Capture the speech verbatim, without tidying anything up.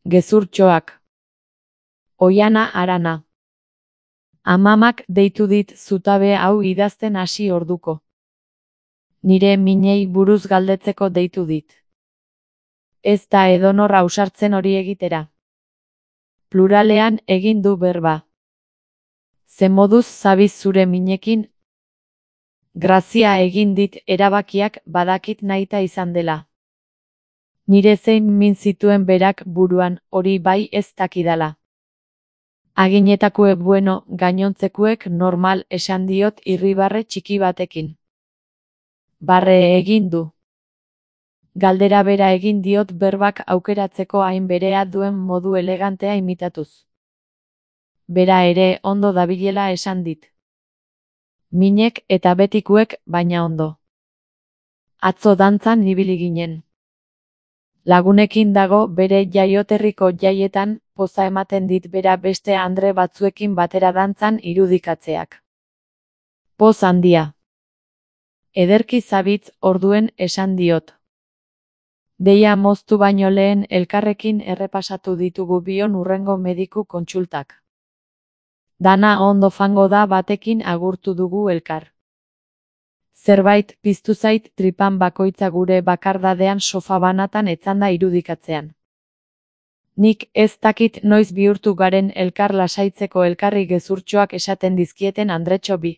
Gezurtxoak. Oiana Arana. Amamak deitu dit zutabe hau idazten hasi orduko. Nire minei buruz galdetzeko deitu dit. Ez da edonor ausartzen hori egitera. Pluralean egin du berba. Ze moduz zabiz zure minekin? Grazia egin dit erabakiak badakit nahita izan dela. Nire zein min zituen berak buruan, hori bai ez dakidala. Aginetakuek bueno, gainontzekuek normal esan diot irribarre txiki batekin. Barre egin du. Galdera bera egin diot berbak aukeratzeko hain berea duen modu elegantea imitatuz. Bera ere ondo dabilela esan dit. Minek eta betikuek baina ondo. Atzo dantzan ibili ginen. Lagunekin dago bere jaioterriko jaietan, poza ematen dit bera beste andre batzuekin batera dantzan irudikatzeak. Poz handia. Ederki zabitz orduen esan diot. Deia moztu baino lehen elkarrekin errepasatu ditugu bion hurrengo mediku kontsultak. Dana ondo fango da batekin agurtu dugu elkar. Zerbait piztu zait tripan bakoitza gure bakardadean sofa banatan etzanda irudikatzean. Nik ez dakit noiz bihurtu garen elkar lasaitzeko elkarri gezurtxoak esaten dizkieten andretxo bi.